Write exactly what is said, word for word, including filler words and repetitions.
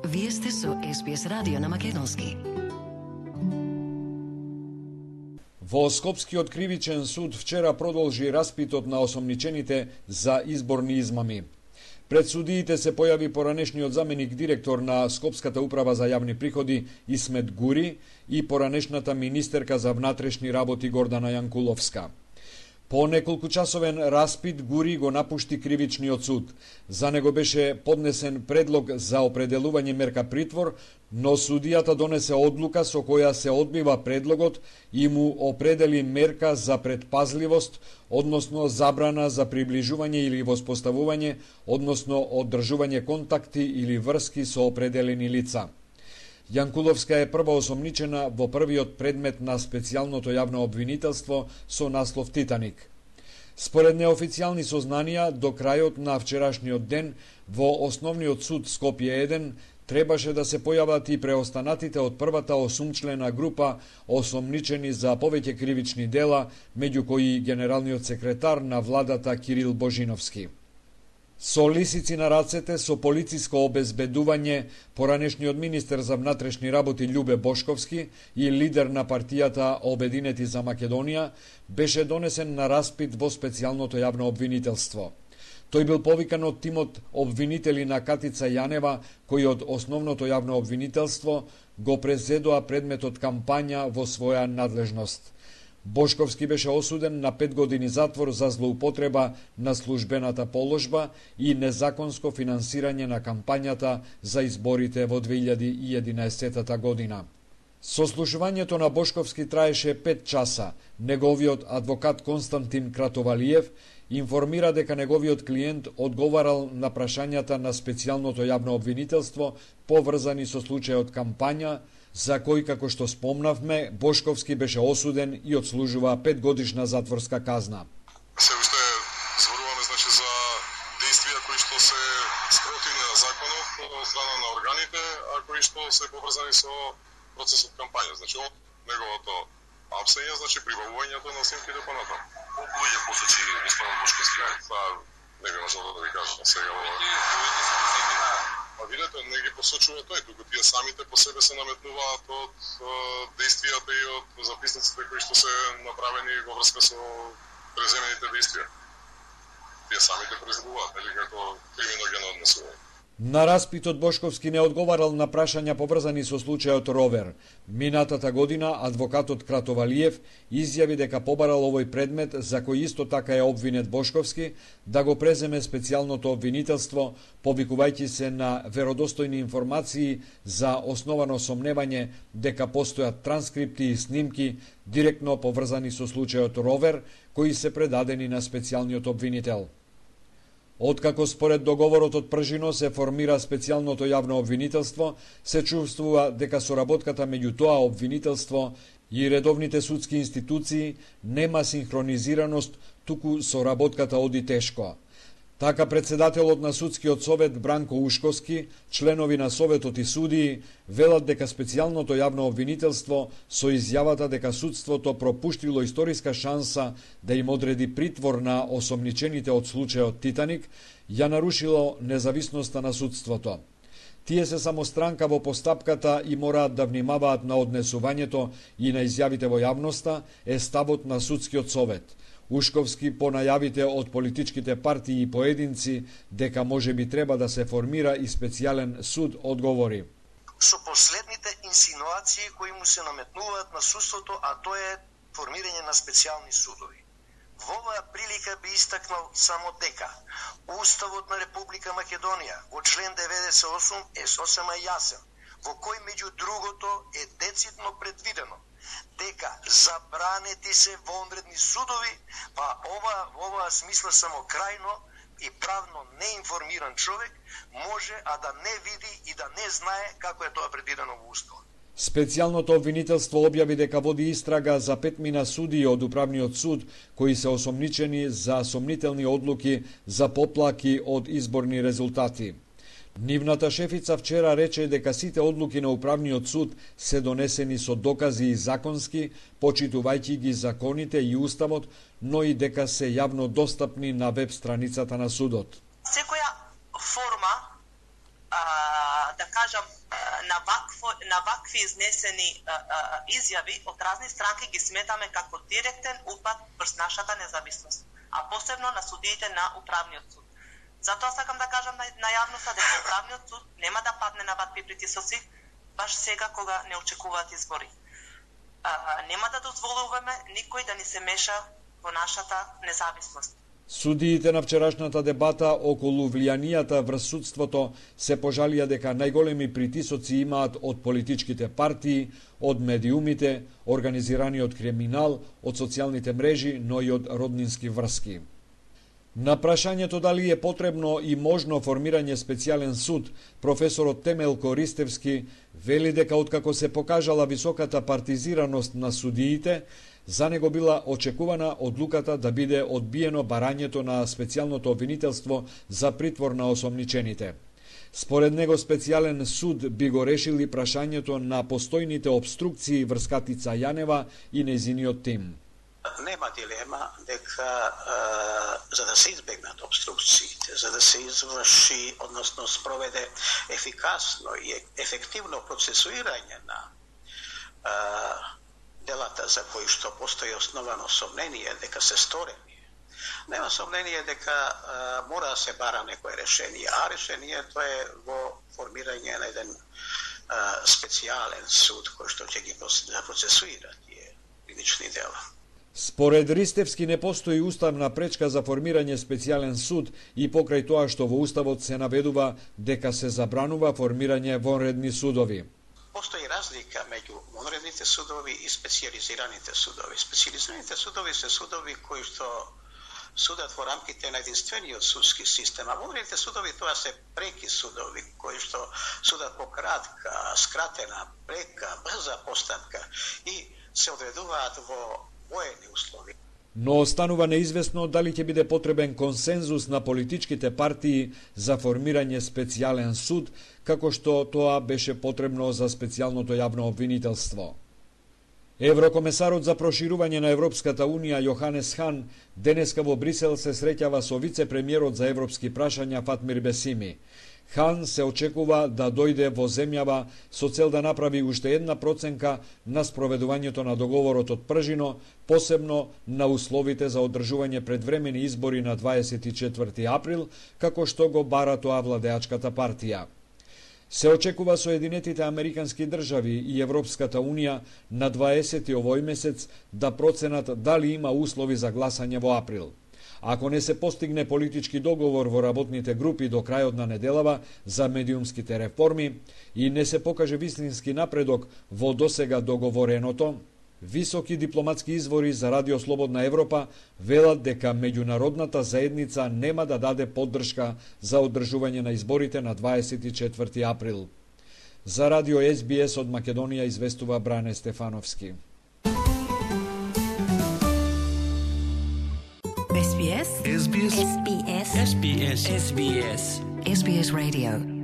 Вие сте со Ес Би Ес радио на македонски. Во Скопскиот кривичен суд вчера продолжи распитот на осомничените за изборни измами. Пред судиите се појави поранешниот заменик директор на Скопската управа за јавни приходи Исмет Гури и поранешната министерка за внатрешни работи Гордана Јанкуловска. По неколкучасовен распит Гури го напушти кривичниот суд. За него беше поднесен предлог за определување мерка притвор, но судијата донесе одлука со која се одбива предлогот и му определи мерка за предпазливост, односно забрана за приближување или воспоставување, односно одржување контакти или врски со определени лица. Јанкуловска е прва осомничена во првиот предмет на специјалното јавно обвинителство со наслов Титаник. Според неофицијални сознанија, до крајот на вчерашниот ден во Основниот суд Скопје еден требаше да се појават и преостанатите од првата осумчлена група осомничени за повеќе кривични дела, меѓу кои генералниот секретар на владата Кирил Божиновски. Со лисици на рацете, со полициско обезбедување, поранешниот министер за внатрешни работи Љубе Бошковски и лидер на партијата Обединети за Македонија беше донесен на распит во специјалното јавно обвинителство. Тој бил повикан од тимот обвинители на Катица Јанева, кои од основното јавно обвинителство го презедоа предметот кампања во своја надлежност. Бошковски беше осуден на пет години затвор за злоупотреба на службената положба и незаконско финансирање на кампањата за изборите во две илјади и единаесетта година. Сослушувањето на Бошковски траеше пет часа. Неговиот адвокат Константин Кратовалиев информира дека неговиот клиент одговарал на прашањата на специјалното јавно обвинителство поврзани со случајот кампања, за кој, како што спомнавме, Бошковски беше осуден и отслужува петгодишна затворска казна. Се уште зборуваме значи за действија кои што се спротивни на законот од страна на органите, а кои што се поврзани со процесот кампања. Значи од неговото апсење, значи прибавувањето на снимките понатаму. Луѓе посочи господин Бошковски. Па не би можел да ви кажам сега. А видете, не ги посочува тој, туку тие самите по себе се наметнуваат од действијата и од записниците кои што се направени во врска со преземените действија. Тие самите произлегуваат, или како криминогено однесување. На распитот Бошковски не одговарал на прашања поврзани со случајот Ровер. Минатата година адвокатот Кратовалиев изјави дека побарал овој предмет, за кој исто така е обвинет Бошковски, да го преземе специјалното обвинителство, повикувајќи се на веродостојни информации за основано сомневање дека постојат транскрипти и снимки директно поврзани со случајот Ровер, кои се предадени на специјалниот обвинител. Откако според договорот од пржино се формира специјалното јавно обвинителство, се чувствува дека соработката меѓу тоа обвинителство и редовните судски институции нема синхронизираност, туку соработката оди тешко. Така председателот на судскиот совет Бранко Ушковски, членови на советот и судии велат дека специјалното јавно обвинителство со изјавата дека судството пропуштило историска шанса да им одреди притвор на осомничените од случајот Титаник, ја нарушило независноста на судството. Тие се само странка во постапката и мораат да внимаваат на однесувањето и на изјавите во јавноста, е ставот на судскиот совет. Ушковски по најавите од политичките партии и поединци дека може би треба да се формира и специјален суд одговори. Со последните инсинуации кои му се наметнуваат на судството, а тоа е формирање на специјални судови. Во оваа прилика би истакнал само дека Уставот на Република Македонија во член деветдесет и осум е сосема јасен, во кој меѓу другото е децидно предвидено дека забранети се вонредни судови, па ова во оваа смисла само крајно и правно неинформиран човек може а да не види и да не знае како е тоа предвидено во Уставот. Специјалното обвинителство објави дека води истрага за петмина судии од Управниот суд кои се осомничени за сомнителни одлуки за поплаки од изборни резултати. Нивната шефица вчера рече дека сите одлуки на Управниот суд се донесени со докази и законски, почитувајќи ги законите и Уставот, но и дека се јавно достапни на веб страницата на судот. Секоја форма а, да кажам, на вакво, на вакви изнесени а, а, изјави од разни странки ги сметаме како директен упад врз нашата независност, а посебно на судиите на управниот суд. Затоа сакам да кажам на, на јавноста дека управниот суд нема да падне на вакви притисоци баш сега кога не очекуваат избори. А, нема да дозволуваме никој да ни се меша во нашата независност. Судиите на вчерашната дебата околу влијанијата врз судството се пожалија дека најголеми притисоци имаат од политичките партии, од медиумите, организираниот криминал, од социјалните мрежи, но и од роднински врски. На прашањето дали е потребно и можно формирање специјален суд, професорот Темелко Ристевски вели дека откако се покажала високата партизираност на судиите, за него била очекувана одлуката да биде одбиено барањето на специјалното обвинителство за притвор на осомничените. Според него специјален суд би го решили прашањето на постојните обструкции врз Катица Јанева и нејзиниот тим. Нема дилема дека е, за да се избегнат обструкциите, за да се изврши, односно спроведе ефикасно и ефективно процесуирање на е, делата за кои што постои основано сомнение дека се сторени, нема сомнение дека е, мора да се бара некое решение, а решението е во формирање на еден е, специјален суд кој што ќе ги процесуира тие кривични дела. Според Ристевски не постои уставна пречка за формирање специјален суд и покрај тоа што во уставот се наведува дека се забранува формирање вонредни судови. Постои разлика меѓу вонредните судови и специјализираните судови. Специјализираните судови се судови кои што судат во рамките на единствениот судски систем, а вонредните судови тоа се преки судови кои што судат по кратка, скратена, прека, брза постапка и се одредуваат во воени услови. Но останува неизвестно дали ќе биде потребен консензус на политичките партии за формирање специјален суд, како што тоа беше потребно за специјалното јавно обвинителство. Еврокомесарот за проширување на Европската Унија Јоханес Хан денеска во Брисел се среќава со вице-премиерот за европски прашања Фатмир Бесими. Хан се очекува да дојде во земјава со цел да направи уште една проценка на спроведувањето на договорот од Пржино, посебно на условите за одржување предвремени избори на дваесет и четврти април, како што го бара тоа владеачката партија. Се очекува Соединетите Американски држави и Европската Унија на дваесети овој месец да проценат дали има услови за гласање во април. Ако не се постигне политички договор во работните групи до крајот на неделава за медиумските реформи и не се покаже вистински напредок во досега договореното, високи дипломатски извори за Радио Слободна Европа велат дека меѓународната заедница нема да даде поддршка за одржување на изборите на дваесет и четврти април. За Радио Ес Би Ес од Македонија известува Бране Стефановски. Ес Би Ес. Ес Би Ес. Ес Би Ес. Ес Би Ес. Ес Би Ес Radio.